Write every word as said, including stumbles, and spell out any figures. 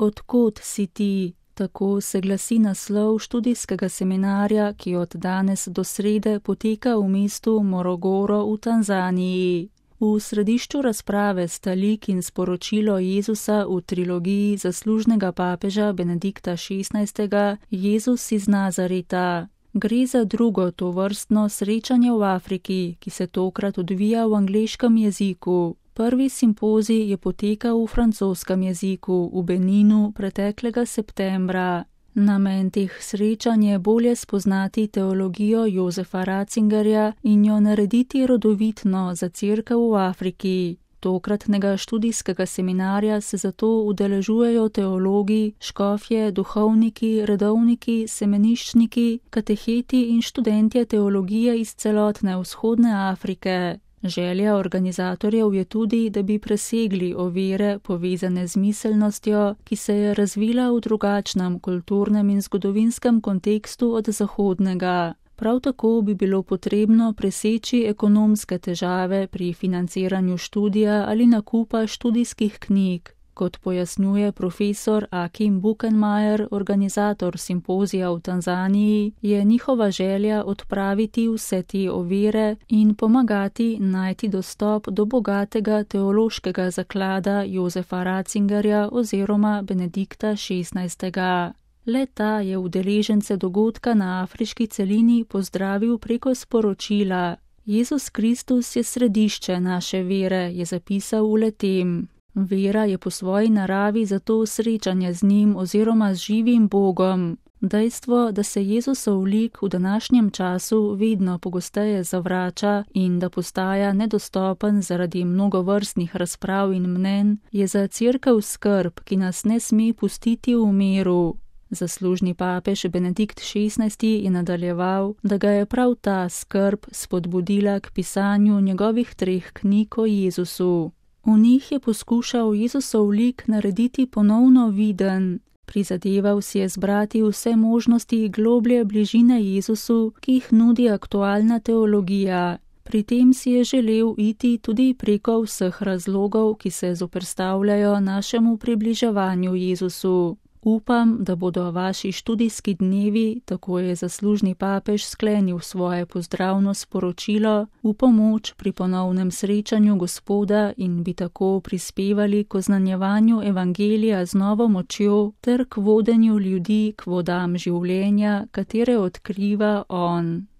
Odkot si ti? Tako se glasi naslov študijskega seminarja, ki od danes do srede poteka v mestu Morogoro v Tanzaniji. V središču razprave sta lik in sporočilo Jezusa v trilogiji zaslužnega papeža Benedikta šestnajstega Jezus iz Nazareta. Gre za drugo tovrstno srečanje v Afriki, ki se tokrat odvija v angleškem jeziku. Prvi simpozij je potekal v francoskem jeziku v Beninu preteklega septembra. Namen teh srečanj je bolje spoznati teologijo Josefa Ratzingerja in jo narediti rodovitno za cerkev v Afriki. Tokratnega študijskega seminarja se zato udeležujejo teologi, škofje, duhovniki, redovniki, semeniščniki, kateheti in študentje teologije iz celotne vzhodne Afrike. Želja organizatorjev je tudi, da bi presegli ovire povezane z miselnostjo, ki se je razvila v drugačnem kulturnem in zgodovinskem kontekstu od zahodnega. Prav tako bi bilo potrebno preseči ekonomske težave pri financiranju študija ali nakupa študijskih knjig. Kot pojasnjuje profesor Akim Buchenmayer, organizator simpozija v Tanzaniji, je njihova želja odpraviti vse te ovire in pomagati najti dostop do bogatega teološkega zaklada Josefa Ratzingerja oziroma Benedikta šestnajstega. Le-ta je udeležence dogodka na afriški celini pozdravil preko sporočila. Jezus Kristus je središče naše vere, je zapisal v le-tem. Vera je po svoji naravi zato srečanje z njim oziroma z živim Bogom. Dejstvo, da se Jezusov lik v današnjem času vedno pogosteje zavrača in da postaja nedostopen zaradi mnogovrstnih razprav in mnenj, je za cerkev skrb, ki nas ne sme pustiti v miru. Zaslužni papež Benedikt šestnajsti je nadaljeval, da ga je prav ta skrb spodbudila k pisanju njegovih treh knjig o Jezusu. V njih je poskušal Jezusov lik narediti ponovno viden. Prizadeval si je zbrati vse možnosti globlje bližine Jezusu, ki jih nudi aktualna teologija. Pri tem si je želel iti tudi preko vseh razlogov, ki se zoperstavljajo našemu približevanju Jezusu. Upam, da bodo vaši študijski dnevi, tako je zaslužni papež sklenil svoje pozdravno sporočilo, v pomoč pri ponovnem srečanju Gospoda in bi tako prispevali k oznanjevanju evangelija z novo močjo ter k vodenju ljudi k vodam življenja, katere odkriva on.